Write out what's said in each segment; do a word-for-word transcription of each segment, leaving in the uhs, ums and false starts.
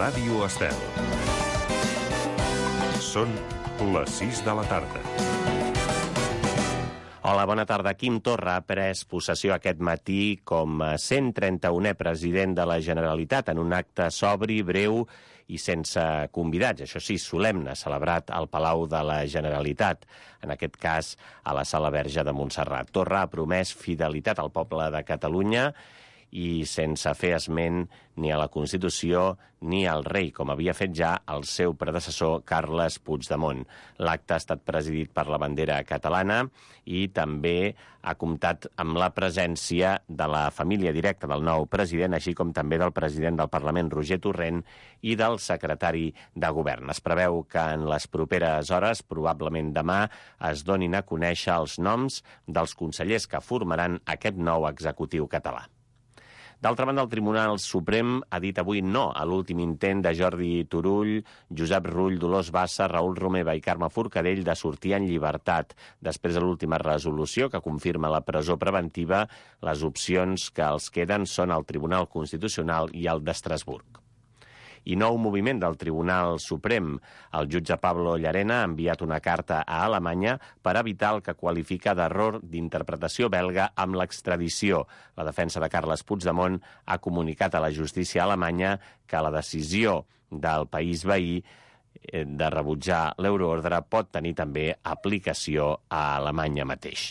Ràdio Estel. Són les sis de la tarda. Hola, bona tarda. Quim Torra ha pres possessió aquest matí com a cent trenta-unè president de la Generalitat en un acte sobri, breu i sense convidats. Això sí, solemne, celebrat al Palau de la Generalitat, en aquest cas a la Sala Verge de Montserrat. Torra ha promès fidelitat al poble de Catalunya i sense fer esment ni a la Constitució ni al rei, com havia fet ja el seu predecessor Carles Puigdemont. L'acte ha estat presidit per la bandera catalana i també ha comptat amb la presència de la família directa del nou president, així com també del president del Parlament, Roger Torrent, i del secretari de Govern. Es preveu que en les properes hores, probablement demà, es donin a conèixer els noms dels consellers que formaran aquest nou executiu català. D'altra banda, el Tribunal Suprem ha dit avui no a l'últim intent de Jordi Turull, Josep Rull, Dolors Bassa, Raül Romeva i Carme Forcadell de sortir en llibertat. Després de l'última resolució que confirma la presó preventiva, les opcions que els queden són el Tribunal Constitucional i el d'Estrasburg. I nou moviment del Tribunal Suprem. El jutge Pablo Llarena ha enviat una carta a Alemanya per evitar el que qualifica d'error d'interpretació belga amb l'extradició. La defensa de Carles Puigdemont ha comunicat a la justícia alemanya que la decisió del país veí de rebutjar l'euroordre pot tenir també aplicació a Alemanya mateix.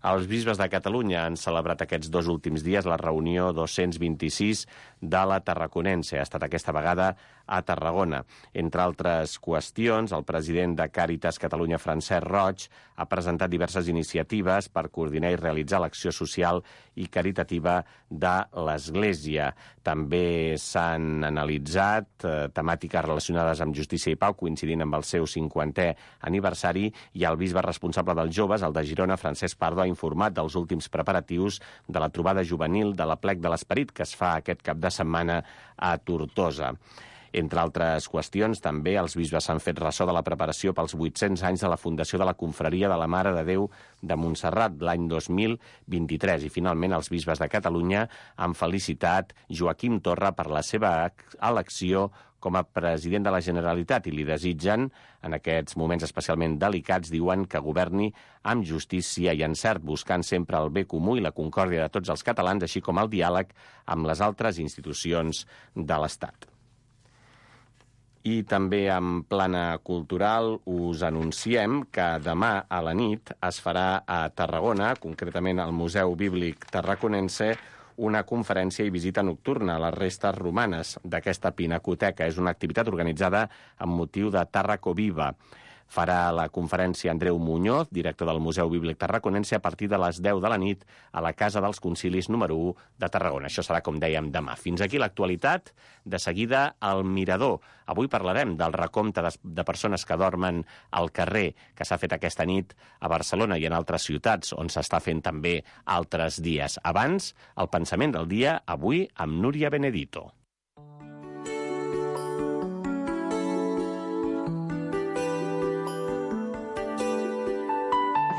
Els bisbes de Catalunya han celebrat aquests dos últims dies la reunió dos-cents vint-i-sis de la Tarraconense. Ha estat aquesta vegada a Tarragona. Entre altres qüestions, el president de Càritas Catalunya, Francesc Roig, ha presentat diverses iniciatives per coordinar i realitzar l'acció social i caritativa de l'Església. També s'han analitzat eh, temàtiques relacionades amb justícia i pau, coincidint amb el seu cinquantè aniversari, i el bisbe responsable dels joves, el de Girona, Francesc Pardo, ha informat dels últims preparatius de la trobada juvenil de l'Aplec de l'Esperit que es fa aquest cap de setmana a Tortosa. Entre altres qüestions, també els bisbes s'han fet ressò de la preparació pels vuit-cents anys de la fundació de la Confraria de la Mare de Déu de Montserrat l'any dos mil vint-i-tres. I finalment els bisbes de Catalunya han felicitat Joaquim Torra per la seva elecció com a president de la Generalitat i li desitgen, en aquests moments especialment delicats, diuen que governi amb justícia i encert, buscant sempre el bé comú i la concòrdia de tots els catalans, així com el diàleg amb les altres institucions de l'Estat. I també en plana cultural us anunciem que demà a la nit es farà a Tarragona, concretament al Museu Bíblic Tarraconense, una conferència i visita nocturna a les restes romanes d'aquesta pinacoteca. És una activitat organitzada amb motiu de Tàrraco Viva. Farà la conferència Andreu Muñoz, director del Museu Bíblic Tarraconense, a partir de les deu de la nit a la Casa dels Concilis número u de Tarragona. Això serà, com dèiem, demà. Fins aquí l'actualitat. De seguida, al Mirador. Avui parlarem del recompte de, de persones que dormen al carrer que s'ha fet aquesta nit a Barcelona i en altres ciutats on s'està fent també altres dies. Abans, el pensament del dia, avui amb Núria Benedito.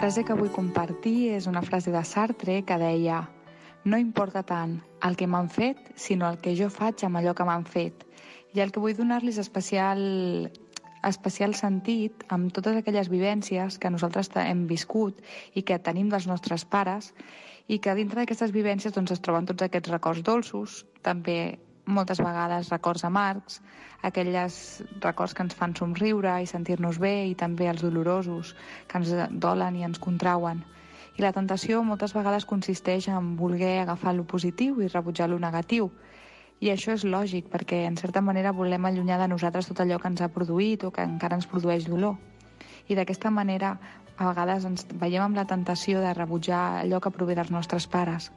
La frase que vull compartir és una frase de Sartre que deia: no importa tant el que m'han fet, sinó el que jo faig amb allò que m'han fet. I el que vull donar-los especial, especial sentit amb totes aquelles vivències que nosaltres hem viscut i que tenim dels nostres pares, i que dintre d'aquestes vivències doncs, es troben tots aquests records dolços, també moltes vegades records amargs, aquells records que ens fan somriure i sentir-nos bé, i també els dolorosos que ens dolen i ens contrauen. I la tentació moltes vegades consisteix en voler agafar lo positiu i rebutjar lo negatiu. I això és lògic, perquè en certa manera volem allunyar de nosaltres tot allò que ens ha produït o que encara ens produeix dolor. I d'aquesta manera a vegades ens veiem amb la tentació de rebutjar allò que prové dels nostres pares.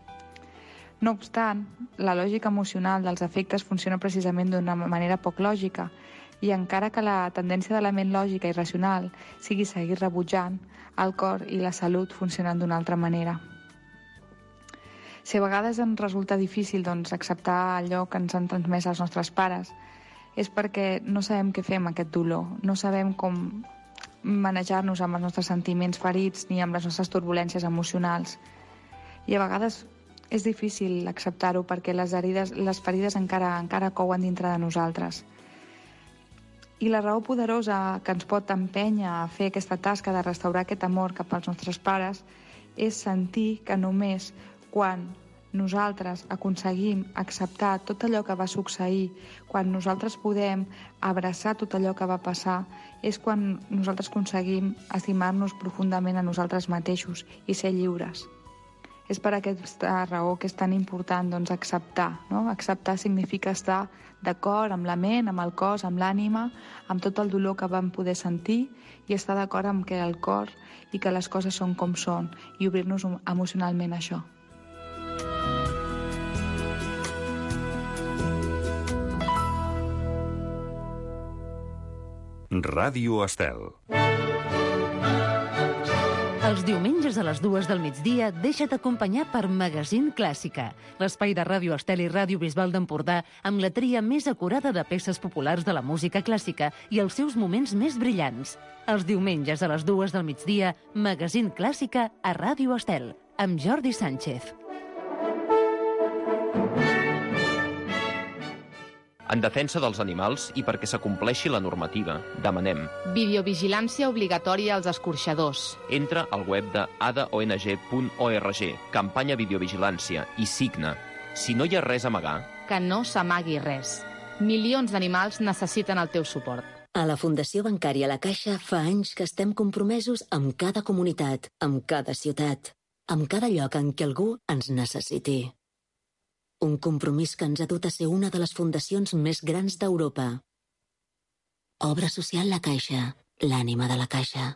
No obstant, la lògica emocional dels afectes funciona precisament d'una manera poc lògica, i encara que la tendència de la ment lògica i racional sigui seguir rebutjant, el cor i la salut funcionen d'una altra manera. Si a vegades ens resulta difícil doncs, acceptar allò que ens han transmès els nostres pares, és perquè no sabem què fer amb aquest dolor, no sabem com manejar-nos amb els nostres sentiments ferits ni amb les nostres turbulències emocionals. I a vegades és difícil acceptar-ho perquè les herides, les ferides encara, encara couen dintre de nosaltres. I la raó poderosa que ens pot empènyer a fer aquesta tasca de restaurar aquest amor cap als nostres pares és sentir que només quan nosaltres aconseguim acceptar tot allò que va succeir, quan nosaltres podem abraçar tot allò que va passar, és quan nosaltres aconseguim estimar-nos profundament a nosaltres mateixos i ser lliures. És per aquesta raó que és tan important doncs, acceptar. No? Acceptar significa estar d'acord amb la ment, amb el cos, amb l'ànima, amb tot el dolor que vam poder sentir i estar d'acord amb que el cor i que les coses són com són i obrir-nos emocionalment a això. Ràdio Estel. Els diumenges a les dues del migdia deixa't acompanyar per Magazín Clàssica, l'espai de Ràdio Estel i Ràdio Bisbal d'Empordà amb la tria més acurada de peces populars de la música clàssica i els seus moments més brillants. Els diumenges a les dues del migdia, Magazín Clàssica a Ràdio Estel, amb Jordi Sánchez. En defensa dels animals i perquè s'acompleixi la normativa, demanem videovigilància obligatòria als escorxadors. Entra al web de a d o n g punt org, campanya videovigilància, i signa. Si no hi ha res a amagar... Que no s'amagui res. Milions d'animals necessiten el teu suport. A la Fundació Bancària La Caixa fa anys que estem compromesos amb cada comunitat, amb cada ciutat, amb cada lloc en què algú ens necessiti. Un compromís que ens ha dut a ser una de les fundacions més grans d'Europa. Obra social La Caixa, l'ànima de la Caixa.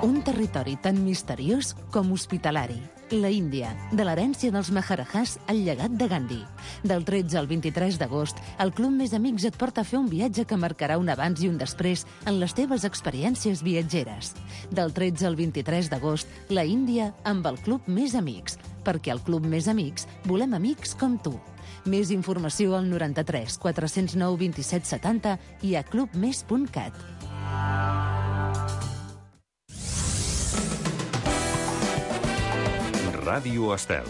Un territori tan misteriós com hospitalari. La Índia, de l'herència dels Maharajahs al llegat de Gandhi. Del tretze al vint-i-tres d'agost, el Club Més Amics et porta a fer un viatge que marcarà un abans i un després en les teves experiències viatgeres. Del tretze al vint-i-tres d'agost, la Índia amb el Club Més Amics, perquè al Club Més Amics volem amics com tu. Més informació al noranta-tres quatre-cents nou vint-i-set setanta i a clubmes punt cat. Ràdio Estel.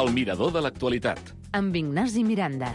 El mirador de l'actualitat. Amb Ignasi Miranda.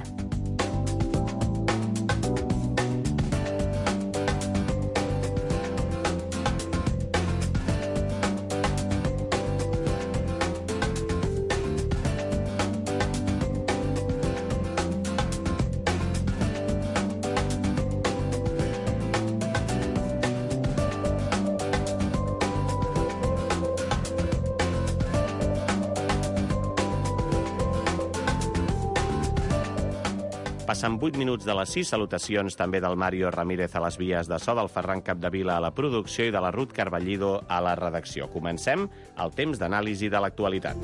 Passen vuit minuts de les sis. Salutacions també del Mario Ramírez a les vies de so, del Ferran Capdevila a la producció i de la Ruth Carballido a la redacció. Comencem el temps d'anàlisi de l'actualitat.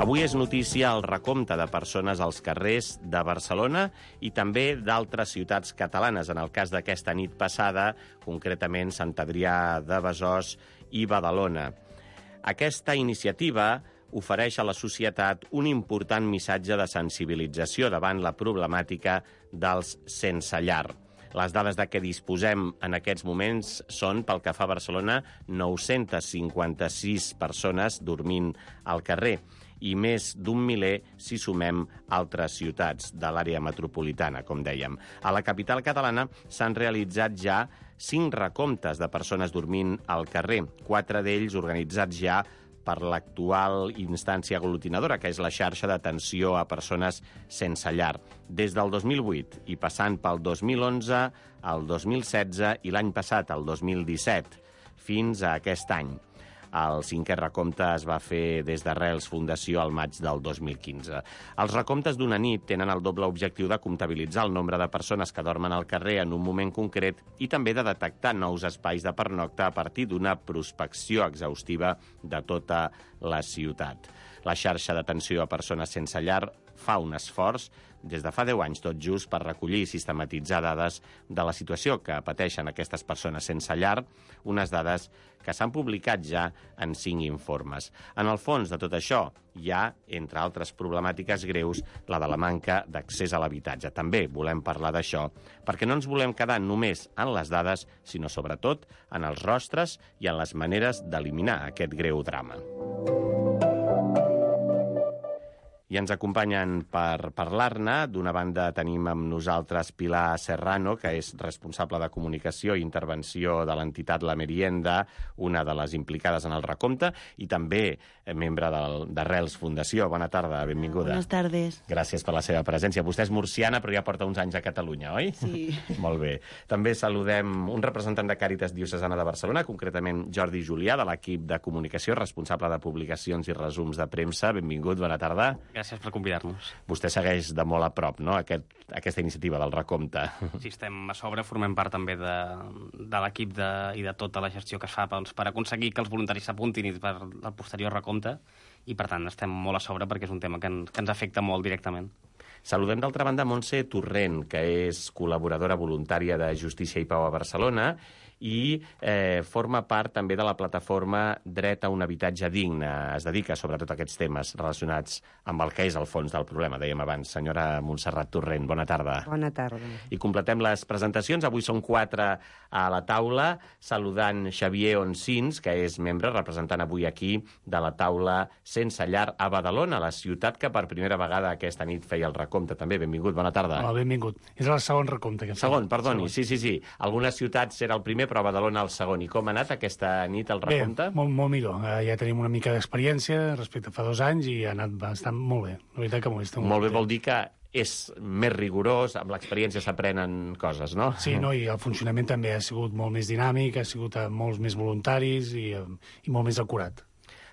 Avui és notícia el recompte de persones als carrers de Barcelona i també d'altres ciutats catalanes. En el cas d'aquesta nit passada, concretament Sant Adrià de Besòs i Badalona. Aquesta iniciativa ofereix a la societat un important missatge de sensibilització davant la problemàtica dels sense llar. Les dades de què disposem en aquests moments són, pel que fa a Barcelona, nou-centes cinquanta-sis persones dormint al carrer i més d'un miler si sumem altres ciutats de l'àrea metropolitana, com dèiem. A la capital catalana s'han realitzat ja cinc recomptes de persones dormint al carrer, quatre d'ells organitzats ja per l'actual instància aglutinadora, que és la xarxa d'atenció a persones sense llar. Des del dos mil vuit i passant pel dos mil onze, el dos mil setze i l'any passat, el dos mil disset, fins a aquest any. El cinquè recompte es va fer des d'Arrels Fundació al maig del dos mil quinze. Els recomptes d'una nit tenen el doble objectiu de comptabilitzar el nombre de persones que dormen al carrer en un moment concret i també de detectar nous espais de pernocta a partir d'una prospecció exhaustiva de tota la ciutat. La xarxa d'atenció a persones sense llar fa un esforç des de fa deu anys tot just per recollir i sistematitzar dades de la situació que pateixen aquestes persones sense llar, unes dades que s'han publicat ja en cinc informes. En el fons de tot això hi ha, entre altres problemàtiques greus, la de la manca d'accés a l'habitatge. També volem parlar d'això, perquè no ens volem quedar només en les dades, sinó sobretot en els rostres i en les maneres d'eliminar aquest greu drama. I ens acompanyen per parlar-ne. D'una banda tenim amb nosaltres Pilar Serrano, que és responsable de comunicació i intervenció de l'entitat La Merienda, una de les implicades en el recompte, i també membre d'Arrels Fundació. Bona tarda, benvinguda. Buenas tardes. Gràcies per la seva presència. Vostè és murciana, però ja porta uns anys a Catalunya, oi? Sí. Molt bé. També saludem un representant de Càritas Diocesana de Barcelona, concretament Jordi Julià, de l'equip de comunicació, responsable de publicacions i resums de premsa. Benvingut, bona tarda. Gràcies per convidar-nos. Vostè segueix de molt a prop, no?, Aquest, aquesta iniciativa del recompte. Sí, estem a sobre, formem part també de, de l'equip de, i de tota la gestió que es fa doncs, per aconseguir que els voluntaris s'apuntin i per el posterior recompte, i per tant estem molt a sobre perquè és un tema que, en, que ens afecta molt directament. Saludem d'altra banda Montse Torrent, que és col·laboradora voluntària de Justícia i Pau a Barcelona i eh, forma part també de la plataforma Dret a un habitatge digne. Es dedica sobretot a aquests temes relacionats amb el que és el fons del problema, dèiem abans. Senyora Montserrat Torrent, bona tarda. Bona tarda. I completem les presentacions. Avui són quatre a la taula, saludant Xavier Oncins, que és membre, representant avui aquí, de la taula Sense Llar a Badalona, la ciutat que per primera vegada aquesta nit feia el recompte. També, benvingut, bona tarda. Hola, benvingut. És el segon recompte que fem. Segon, perdoni, segon. sí, sí, sí. Algunes ciutats era el primer, però a Badalona el segon. I com ha anat aquesta nit el recompte? Bé, molt, molt millor. Uh, ja tenim una mica d'experiència respecte a fa dos anys i ha anat bastant molt bé. La veritat que m'ho estic molt bé. Vol dir que és més rigorós, amb l'experiència s'aprenen coses, no? Sí, no, i el funcionament també ha sigut molt més dinàmic, ha sigut uh, molts més voluntaris i, uh, i molt més acurat.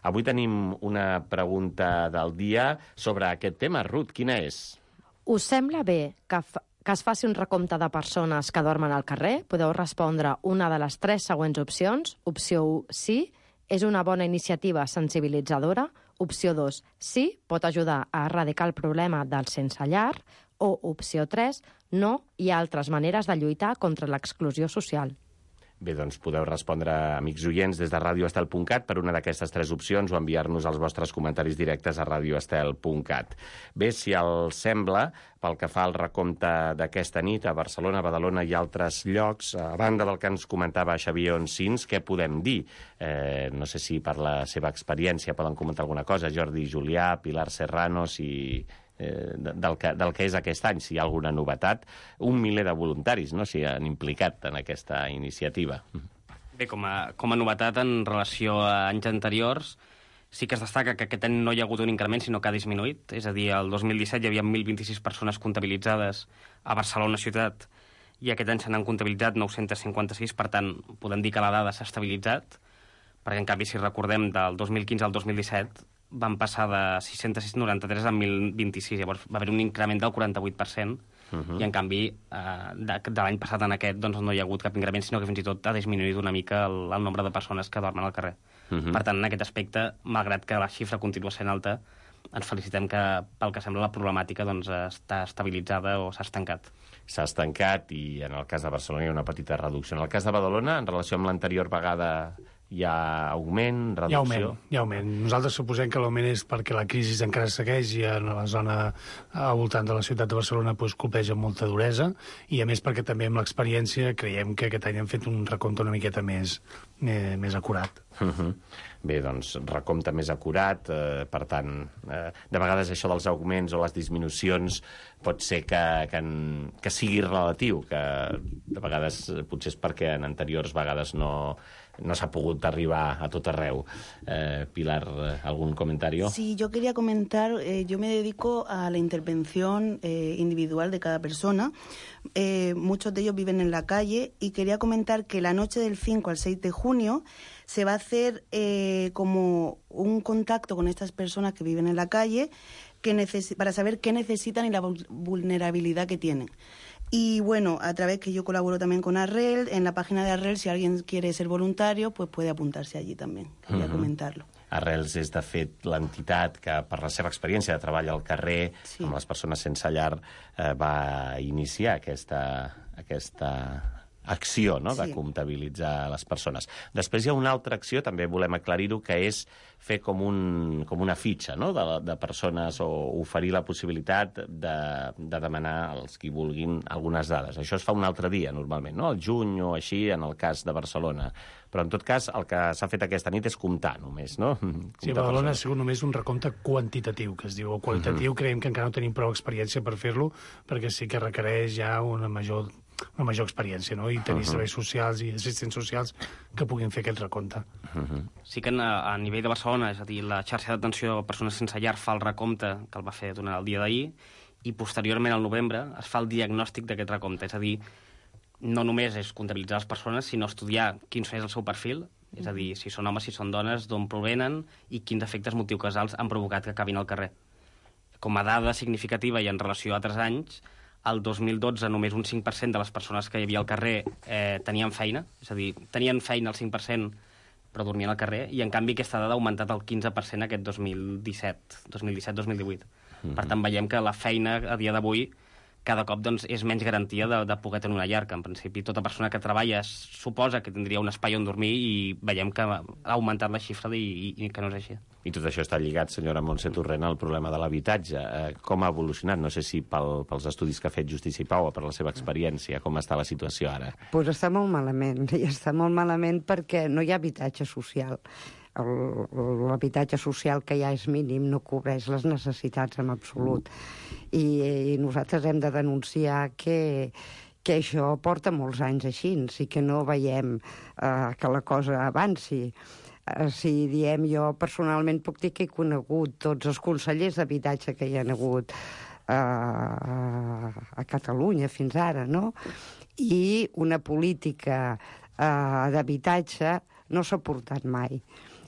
Avui tenim una pregunta del dia sobre aquest tema. Ruth, quina és? Us sembla bé que, que es faci un recompte de persones que dormen al carrer? Podeu respondre una de les tres següents opcions. Opció u, sí, és una bona iniciativa sensibilitzadora. Opció dos, sí, pot ajudar a erradicar el problema del sense llar. O opció tres, no, hi ha altres maneres de lluitar contra l'exclusió social. Bé, doncs podeu respondre, amics oients, des de radio estel punt cat per una d'aquestes tres opcions o enviar-nos els vostres comentaris directes a radio estel punt cat. Bé, si el sembla, pel que fa al recompte d'aquesta nit a Barcelona, Badalona i altres llocs, a banda del que ens comentava Xavier Oncins, què podem dir? Eh, no sé si per la seva experiència poden comentar alguna cosa. Jordi Julià, Pilar Serrano, si... Eh, del, que, del que és aquest any, si hi ha alguna novetat. Un miler de voluntaris, no?, s'hi han implicat en aquesta iniciativa. Bé, com a, com a novetat en relació a anys anteriors, sí que es destaca que aquest any no hi ha hagut un increment, sinó que ha disminuït. És a dir, el dos mil disset hi havia mil vint-i-sis persones comptabilitzades a Barcelona ciutat i aquest any se n'han comptabilitzat nou-cents cinquanta-sis, per tant, podem dir que la dada s'ha estabilitzat, perquè en canvi, si recordem, del dos mil quinze al dos mil disset van passar de sis-cents noranta-tres a mil vint-i-sis, llavors va haver un increment del quaranta-vuit per cent, uh-huh. i en canvi eh, de, de l'any passat en aquest doncs, no hi ha hagut cap increment, sinó que fins i tot ha disminuït una mica el, el nombre de persones que dormen al carrer. Uh-huh. Per tant, en aquest aspecte, malgrat que la xifra continua sent alta, ens felicitem que, pel que sembla, la problemàtica doncs, està estabilitzada o s'ha estancat. S'ha estancat i en el cas de Barcelona hi ha una petita reducció. En el cas de Badalona, en relació amb l'anterior vegada, hi ha augment, reducció? Hi ha augment, hi ha augment. Nosaltres suposem que l'augment és perquè la crisi encara segueix i en la zona al voltant de la ciutat de Barcelona pues, colpeja amb molta duresa i a més perquè també amb l'experiència creiem que aquest any hem fet un recompte una miqueta més, més, més acurat. Uh-huh. Bé, doncs, recompte més acurat, eh, per tant, eh, de vegades això dels augments o les disminucions pot ser que, que, en, que sigui relatiu, que de vegades potser és perquè en anteriors vegades no, no s'ha pogut arribar a tot arreu. Eh, Pilar, ¿algún comentario? Sí, yo quería comentar, eh, yo me dedico a la intervención eh, individual de cada persona. Eh, muchos de ellos viven en la calle y quería comentar que la noche del cinco al seis de junio se va a hacer eh, como un contacto con estas personas que viven en la calle que neces- para saber qué necesitan y la vulnerabilidad que tienen. Y bueno, a través que yo colaboro también con Arrel, en la página de Arrel, si alguien quiere ser voluntario, pues puede apuntarse allí también. Quería uh-huh. comentarlo. Arrels és, de fet, l'entitat que, per la seva experiència de treball al carrer, sí. amb les persones sense llar, eh, va iniciar aquesta, aquesta acció, no?, de Sí. comptabilitzar les persones. Després hi ha una altra acció, també volem aclarir-ho, que és fer com, un, com una fitxa, no?, de, de persones, o oferir la possibilitat de, de demanar als qui vulguin algunes dades. Això es fa un altre dia, normalment, no?, al juny o així, en el cas de Barcelona. Però, en tot cas, el que s'ha fet aquesta nit és comptar, només, no? Sí, a Badalona ha sigut només un recompte quantitatiu, que es diu. O qualitatiu, uh-huh. creiem que encara no tenim prou experiència per fer-lo, perquè sí que requereix ja una major, una major experiència, no? I tenir uh-huh. serveis socials i assistents socials que puguin fer aquest recompte. Uh-huh. Sí que a, a nivell de Barcelona, és a dir, la xarxa d'atenció a persones sense llar fa el recompte, que el va fer durant el dia d'ahir, i posteriorment, al novembre, es fa el diagnòstic d'aquest recompte. És a dir, no només és comptabilitzar les persones, sinó estudiar quin és el seu perfil, és a dir, si són homes, si són dones, d'on provenen i quins efectes motius-causals han provocat que acabin al carrer. Com a dada significativa i en relació a altres anys, el dos mil dotze només un cinc per cent de les persones que hi havia al carrer eh, tenien feina, és a dir, tenien feina el cinc per cent però dormien al carrer, i en canvi aquesta dada ha augmentat el quinze per cent aquest dos mil disset, dos mil disset dos mil divuit. Mm-hmm. Per tant, veiem que la feina a dia d'avui cada cop doncs, és menys garantia de, de poder tenir una llar, que en principi tota persona que treballa suposa que tindria un espai on dormir, i veiem que ha augmentat la xifra i, i, i que no és així. I tot això està lligat, senyora Montse Torrent, al problema de l'habitatge. Eh, com ha evolucionat? No sé si pel, pels estudis que ha fet Justícia i Pau o per la seva experiència, com està la situació ara? Doncs pues està molt malament, i està molt malament perquè no hi ha habitatge social. L'habitatge social que ja és mínim no cobreix les necessitats en absolut. I, i nosaltres hem de denunciar que, que això porta molts anys així, i que no veiem eh, que la cosa avanci. Eh, si diem, jo personalment puc dir que he conegut tots els consellers d'habitatge que hi ha hagut eh, a Catalunya fins ara, no? I una política eh, d'habitatge no s'ha portat mai.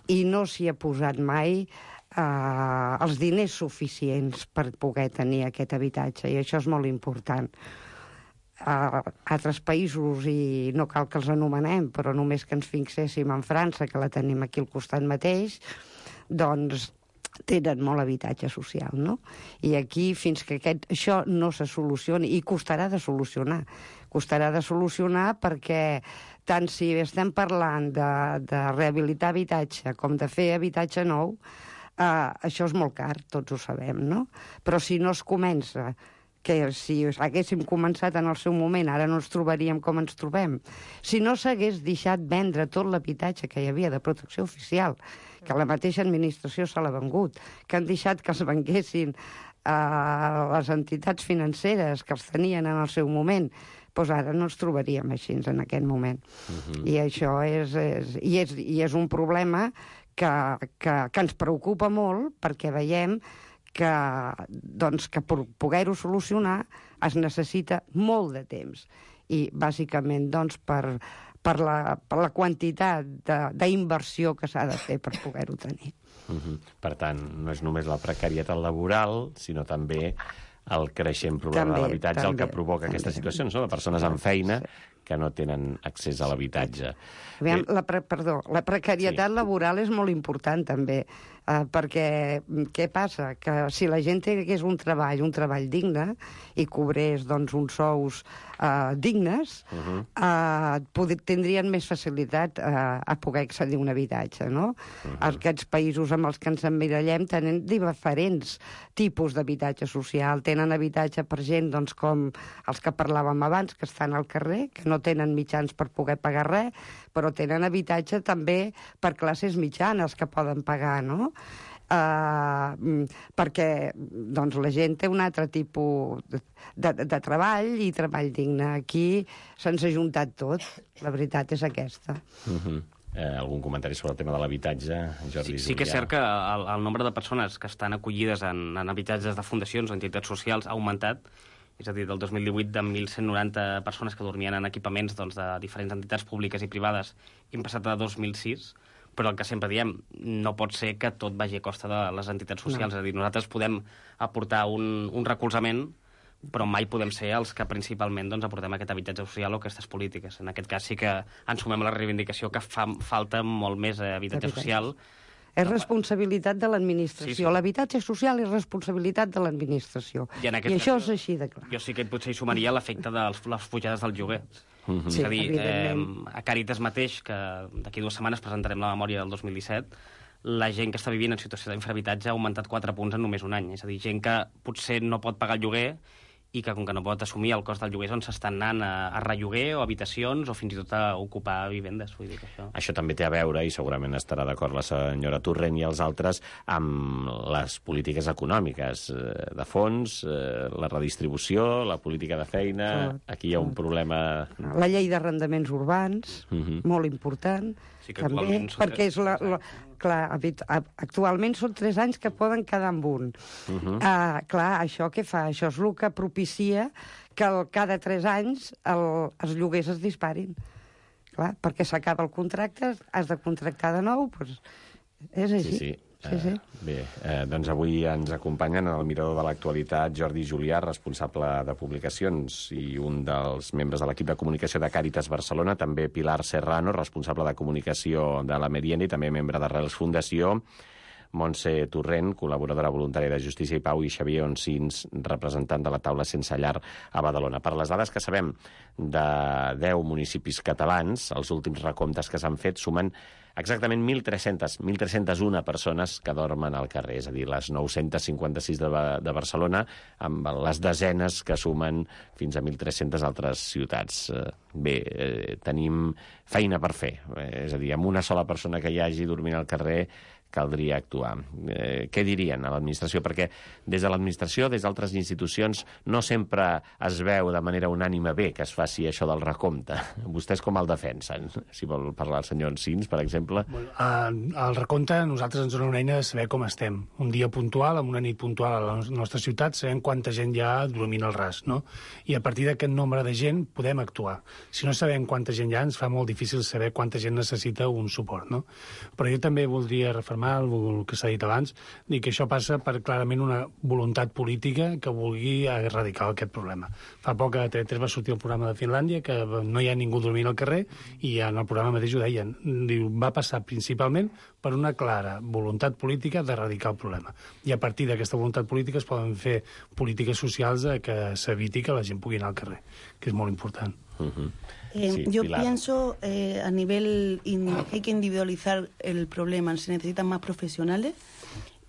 I no s'hi ha posat mai eh, els diners suficients per poder tenir aquest habitatge, i això és molt important. Uh, altres països, i no cal que els anomenem, però només que ens fixéssim en França, que la tenim aquí al costat mateix, doncs tenen molt habitatge social, no? I aquí, fins que aquest, això no se solucioni, i costarà de solucionar, costarà de solucionar perquè tant si estem parlant de, de rehabilitar habitatge com de fer habitatge nou, eh, això és molt car, tots ho sabem, no? Però si no es comença, que si haguéssim començat en el seu moment, ara no ens trobaríem com ens trobem. Si no s'hagués deixat vendre tot l'habitatge que hi havia de protecció oficial, que la mateixa administració se l'ha vengut, que han deixat que els venguessin eh, les entitats financeres que els tenien en el seu moment, doncs ara no ens trobaríem així en aquest moment. Uh-huh. I això és, és, i és, i és un problema que, que, que ens preocupa molt, perquè veiem que, doncs, que per poder-ho solucionar es necessita molt de temps. I bàsicament doncs, per, per, la, per la quantitat d'inversió que s'ha de fer per poder-ho tenir. Uh-huh. Per tant, no és només la precarietat laboral, sinó també el creixent problema també, de l'habitatge, el que provoca també. Aquestes situacions, no? De persones amb feina que no tenen accés a l'habitatge. Aviam, la pre perdó, la precarietat sí. laboral és molt important, també, eh, perquè què passa? Que si la gent tingués un treball, un treball digne, i cobrés doncs, uns sous eh, dignes, uh-huh. eh, poder, tindrien més facilitat eh, a poder accedir a un habitatge, no? Uh-huh. Aquests països amb els que ens emmirallem tenen diferents tipus d'habitatge social, tenen habitatge per gent doncs, com els que parlàvem abans, que estan al carrer, que no tenen mitjans per poder pagar res, però tenen habitatge també per classes mitjanes que poden pagar, no? Uh, perquè doncs, la gent té un altre tipus de, de, de treball i treball digne. Aquí se'ns ha juntat tot, la veritat és aquesta. Uh-huh. Eh, algun comentari sobre el tema de l'habitatge, Jordi? Sí, sí que és cert que el, el nombre de persones que estan acollides en, en habitatges de fundacions o entitats socials ha augmentat. És a dir, del dos mil divuit, de mil cent noranta persones que dormien en equipaments doncs, de diferents entitats públiques i privades, hem passat a dos mil sis, però el que sempre diem, no pot ser que tot vagi a costa de les entitats socials. No. És a dir, nosaltres podem aportar un, un recolzament, però mai podem ser els que principalment doncs, aportem aquest habitatge social o aquestes polítiques. En aquest cas sí que ens sumem a la reivindicació que fa falta molt més habitatge social. És responsabilitat de l'administració. Sí, sí. L'habitatge social és responsabilitat de l'administració. I, I això és així de clar. Jo sí que potser hi sumaria l'efecte de les pujades del lloguer. Mm-hmm. És a dir, Sí, eh, a Càritas mateix, que d'aquí dues setmanes presentarem la memòria del dos mil disset, la gent que està vivint en situació d'infrahabitatge ha augmentat quatre punts en només un any. És a dir, gent que potser no pot pagar el lloguer i que, com que no pot assumir el cost del lloguer, doncs s'estan anant a, a relloguer o habitacions o fins i tot a ocupar vivendes. Vull dir que això... Això també té a veure, i segurament estarà d'acord la senyora Torrent i els altres, amb les polítiques econòmiques de fons, la redistribució, la política de feina... Aquí hi ha un problema... La llei d'arrendaments urbans, uh-huh. molt important, sí que també, perquè és la... la clar, actualment són tres anys que poden quedar amb un. Uh-huh. Uh, clar, això què fa? Això és el que propicia que el, cada tres anys el, els lloguers es disparin. Clar, perquè s'acaba el contracte, has de contractar de nou, doncs és així. Sí, sí. Sí, sí. Uh, bé, uh, doncs avui ens acompanyen en el Mirador de l'Actualitat Jordi Julià, responsable de publicacions i un dels membres de l'equip de comunicació de Càritas Barcelona, també Pilar Serrano, responsable de comunicació de la Merienda i també membre d'Arrels Fundació, Montse Torrent, col·laboradora voluntària de Justícia i Pau, i Xavier Oncins, representant de la taula Sense Llar a Badalona. Per les dades que sabem de deu municipis catalans, els últims recomptes que s'han fet sumen exactament mil tres-centes, mil tres-centes una persones que dormen al carrer, és a dir, les nou-centes cinquanta-sis de, de Barcelona, amb les desenes que sumen fins a mil tres-centes altres ciutats. Bé, eh, tenim feina per fer, eh, és a dir, amb una sola persona que hi hagi dormint al carrer caldria actuar. Eh, què dirien a l'administració? Perquè des de l'administració, des d'altres institucions, no sempre es veu de manera unànime bé que es faci això del recompte. Vostès com el defensen? Si vol parlar el senyor Oncins, per exemple. Bueno, eh, el recompte a nosaltres ens dona una eina de saber com estem. Un dia puntual, amb una nit puntual a la nostra ciutat, sabem quanta gent hi ha dormint al ras, no? I a partir d'aquest nombre de gent podem actuar. Si no sabem quanta gent hi ha, ens fa molt difícil saber quanta gent necessita un suport, no? Però jo també voldria refermar el que s'ha dit abans, dir que això passa per clarament una voluntat política que vulgui erradicar aquest problema. Fa poc a T V tres va sortir el programa de Finlàndia, que no hi ha ningú dormint al carrer, i en el programa mateix ho deien. Diu, va passar principalment per una clara voluntat política d'erradicar el problema. I a partir d'aquesta voluntat política es poden fer polítiques socials que s'eviti que la gent pugui anar al carrer, que és molt important. Uh-huh. Eh, sí, yo Pilar. pienso eh, a nivel, in, hay que individualizar el problema, se necesitan más profesionales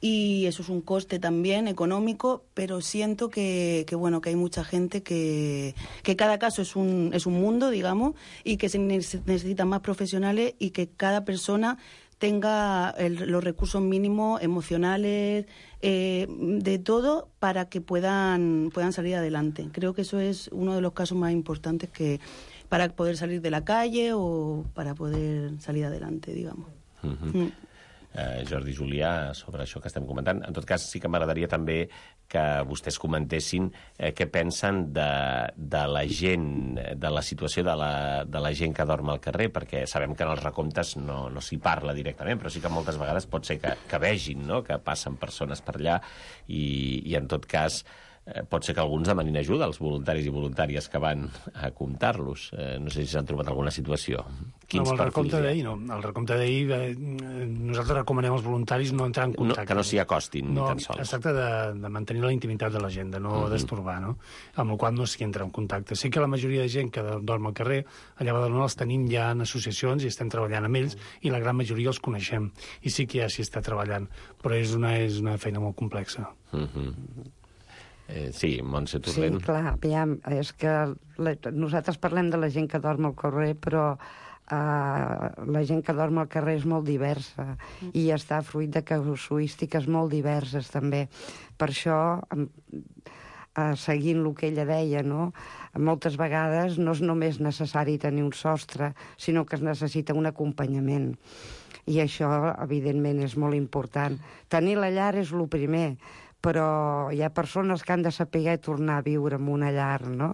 y eso es un coste también económico, pero siento que, que bueno, que hay mucha gente que, que cada caso es un, es un mundo, digamos, y que se necesitan más profesionales y que cada persona tenga el, los recursos mínimos emocionales, eh, de todo, para que puedan, puedan salir adelante. Creo que eso es uno de los casos más importantes que para poder salir de la calle o para poder salir adelante, digamos. Uh-huh. Mm. Uh, Jordi Julià, sobre això que estem comentant. En tot cas, sí que m'agradaria també que vostès comentessin eh, què pensen de, de la gent, de la situació de la, de la gent que dorm al carrer, perquè sabem que en els recomptes no, no s'hi parla directament, però sí que moltes vegades pot ser que, que vegin, no?, que passen persones per allà i, i en tot cas eh, pot ser que alguns demanin ajuda als voluntaris i voluntàries que van a comptar-los. Eh, no sé si s'han trobat alguna situació. Quins no, el recompte perfils hi ha? d'ahir no. El recompte d'ahir, eh, nosaltres recomanem als voluntaris no entrar en contacte. No, que no s'hi acostin, no, ni tan sols. Es tracta de, de mantenir la intimitat de la gent, de no uh-huh. destorbar, no? Amb la qual no s'hi entra en contacte. Sé que la majoria de gent que dorm al carrer, allà a Badalona els tenim ja en associacions i estem treballant amb ells, i la gran majoria els coneixem. I sí que ja s'hi està treballant, però és una, és una feina molt complexa. Uh-huh. Eh, sí, Montse Torrent. Sí, clar, aviam, és que la, nosaltres parlem de la gent que dorm al carrer, però uh, la gent que dorm al carrer és molt diversa mm. i està fruit de casuístiques molt diverses, també. Per això, uh, seguint el que ella deia, no?, moltes vegades no és només necessari tenir un sostre, sinó que es necessita un acompanyament. I això, evidentment, és molt important. Tenir la llar és el primer, però hi ha persones que han de saber tornar a viure en una llar, no?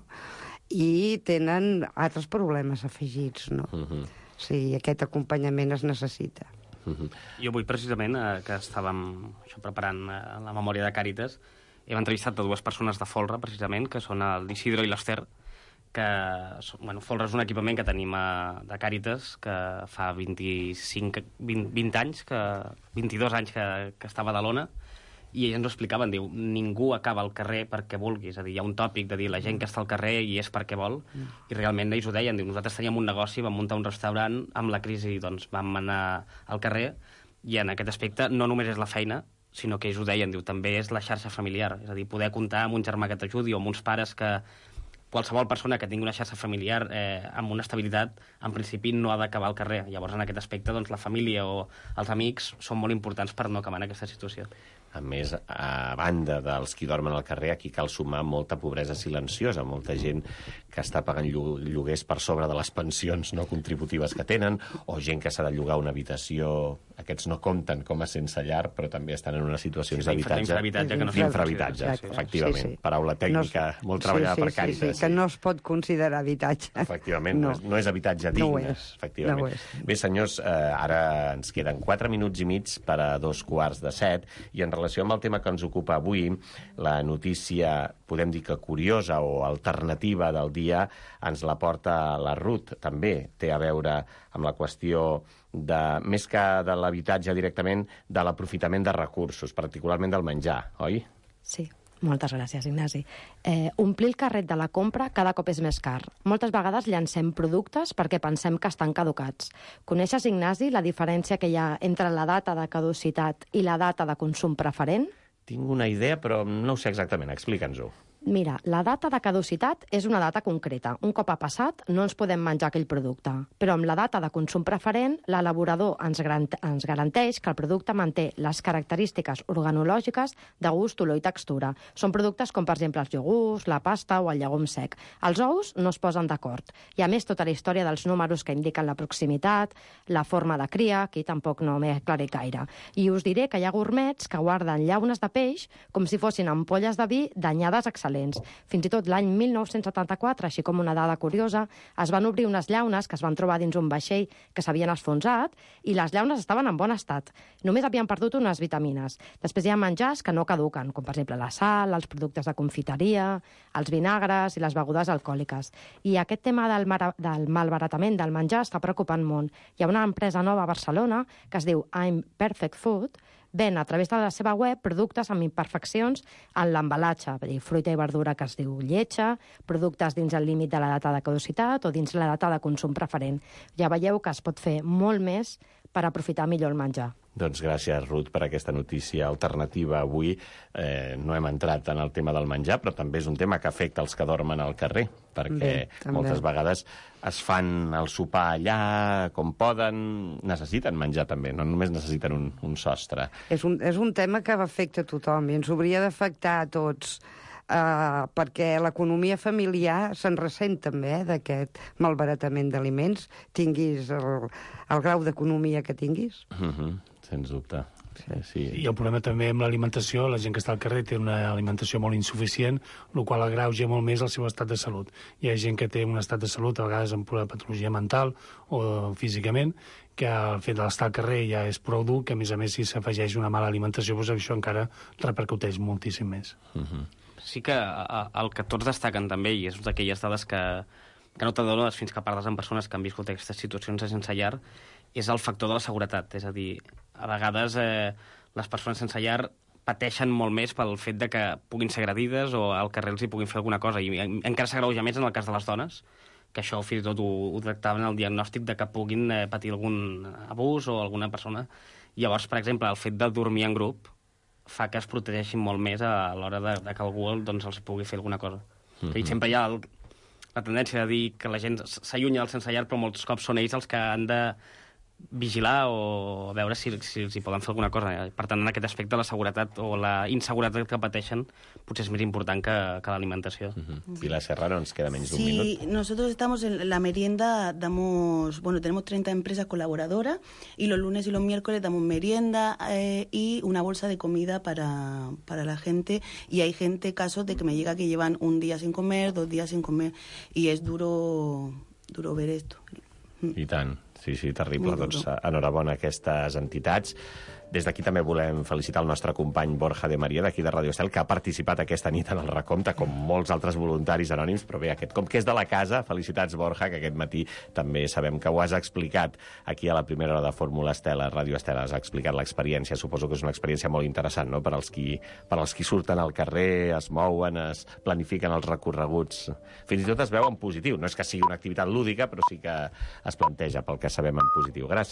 I tenen altres problemes afegits, no? Uh-huh. Sí, aquest acompanyament es necessita. Uh-huh. Jo avui, precisament, eh, que estàvem això, preparant eh, la memòria de Càritas, hem entrevistat a dues persones de folre, precisament, que són l'Isidro i l'Ester, que bueno, Folra és un equipament que tenim a, de Càritas que fa vint-i-cinc, vint, vint anys, que, vint-i-dos anys que, que estava a Badalona, i ells ens ho explicaven, diu, ningú acaba al carrer perquè vulgui, és a dir, hi ha un tòpic de dir la gent que està al carrer i és perquè vol, mm. i realment ells ho deien, diu, nosaltres teníem un negoci, vam muntar un restaurant, amb la crisi doncs vam anar al carrer, i en aquest aspecte no només és la feina, sinó que ells ho deien, diu, també és la xarxa familiar, és a dir, poder comptar amb un germà que t'ajudi o amb uns pares que qualsevol persona que tingui una xarxa familiar eh, amb una estabilitat, en principi no ha d'acabar al carrer. Llavors, en aquest aspecte, doncs, la família o els amics són molt importants per no acabar en aquesta situació. A més, a banda dels qui dormen al carrer, aquí cal sumar molta pobresa silenciosa, molta gent que està pagant lloguers per sobre de les pensions no contributives que tenen, o gent que s'ha de llogar una habitació. Aquests no compten com a sense llar, però també estan en unes situacions sí, d'habitatge. D'infrahabitatge. No D'infrahabitatge, sí, sí, efectivament. Sí, sí. Paraula tècnica, no, molt treballada sí, sí, per Càritas. Sí, sí, que no es pot considerar habitatge. Efectivament, no, no és habitatge digne. No ho és. Efectivament. No ho és. Bé, senyors, eh, ara ens queden quatre minuts i mig per a dos quarts de set, i en relació amb el tema que ens ocupa avui, la notícia, podem dir que curiosa o alternativa del dia, ens la porta la Ruth. També té a veure amb la qüestió de, més que de l'habitatge directament, de l'aprofitament de recursos, particularment del menjar, oi? Sí. Moltes gràcies, Ignasi. Eh, omplir el carret de la compra cada cop és més car. Moltes vegades llancem productes perquè pensem que estan caducats. Coneixes, Ignasi, la diferència que hi ha entre la data de caducitat i la data de consum preferent? Tinc una idea, però no ho sé exactament. Explica'ns-ho. Mira, la data de caducitat és una data concreta. Un cop ha passat, no ens podem menjar aquell producte. Però amb la data de consum preferent, l'elaborador ens, ens garanteix que el producte manté les característiques organològiques de gust, olor i textura. Són productes com, per exemple, els iogurts, la pasta o el llegum sec. Els ous no es posen d'acord. I, a més, tota la història dels números que indiquen la proximitat, la forma de cria, aquí tampoc no m'he aclarit gaire. I us diré que hi ha gourmets que guarden llaunes de peix com si fossin ampolles de vi danyades excel·lents. Fins i tot l'any mil nou-cents setanta-quatre, així com una dada curiosa, es van obrir unes llaunes que es van trobar dins un vaixell que s'havien esfonsat i les llaunes estaven en bon estat. Només havien perdut unes vitamines. Després hi ha menjars que no caduquen, com per exemple la sal, els productes de confiteria, els vinagres i les begudes alcohòliques. I aquest tema del, del malbaratament del menjar està preocupant molt. Hi ha una empresa nova a Barcelona que es diu I'm Perfect Food, ven a través de la seva web productes amb imperfeccions en l'embalatge, fruita i verdura que es diu lletja, productes dins el límit de la data de caducitat o dins la data de consum preferent. Ja veieu que es pot fer molt més per aprofitar millor el menjar. Doncs gràcies, Ruth, per aquesta notícia alternativa avui. Eh, no hem entrat en el tema del menjar, però també és un tema que afecta els que dormen al carrer, perquè Bé, moltes vegades es fan el sopar allà com poden, necessiten menjar també, no només necessiten un, un sostre. És un, és un tema que afecta a tothom i ens hauria d'afectar a tots. Uh, perquè l'economia familiar se'n ressent també eh, d'aquest malbaratament d'aliments, tinguis el, el grau d'economia que tinguis. Uh-huh, sens dubte. Sí, sí. I el problema també amb l'alimentació, la gent que està al carrer té una alimentació molt insuficient, el qual agreuja molt més el seu estat de salut. Hi ha gent que té un estat de salut, a vegades amb pura patologia mental o físicament, que el fet d'estar al carrer ja és prou dur, que a més a més si s'afegeix una mala alimentació, doncs això encara repercuteix moltíssim més. Uh-huh. Sí que el que tots destaquen també, i és d'aquelles dades que, que no t'adones fins que parles amb persones que han viscut aquestes situacions de sense llar, és el factor de la seguretat. És a dir, a vegades eh, les persones sense llar pateixen molt més pel fet de que puguin ser agredides o al carrer els hi puguin fer alguna cosa. I encara s'agreuja més en el cas de les dones, que això fins i tot ho, ho tractaven el diagnòstic de que puguin eh, patir algun abús o alguna persona. Llavors, per exemple, el fet de dormir en grup fa que es protegeixin molt més a l'hora de, de que algú doncs, els pugui fer alguna cosa. Mm-hmm. I sempre hi ha el, la tendència de dir que la gent s'allunya del sense llar, però molts cops són ells els que han de vigilar o veure si, si els hi poden fer alguna cosa. Per tant, en aquest aspecte, la seguretat o la inseguretat que pateixen potser és més important que, que l'alimentació. Uh-huh. Pilar Serrano, ens queda menys d'un sí, minut. Sí, nosotros estamos en la merienda, damos, bueno, tenemos treinta empresas colaboradoras y los lunes y los miércoles damos merienda eh, y una bolsa de comida para, para la gente, y hay gente, casos de que me llega que llevan un día sin comer, dos días sin comer, y es duro, duro ver esto. I tant. Sí, sí, terrible. Doncs enhorabona a aquestes entitats. Des d'aquí també volem felicitar el nostre company Borja de Maria, d'aquí de Radio Estel, que ha participat aquesta nit en el recompte, com molts altres voluntaris anònims, però bé, aquest, com que és de la casa, felicitats, Borja, que aquest matí també sabem que ho has explicat aquí a la primera hora de Fórmula Estel, a Radio Estel, has explicat l'experiència. Suposo que és una experiència molt interessant, no?, per als qui, per als qui surten al carrer, es mouen, es planifiquen els recorreguts. Fins i tot es veu en positiu. No és que sigui una activitat lúdica, però sí que es planteja, pel que sabem, en positiu. Gràcies.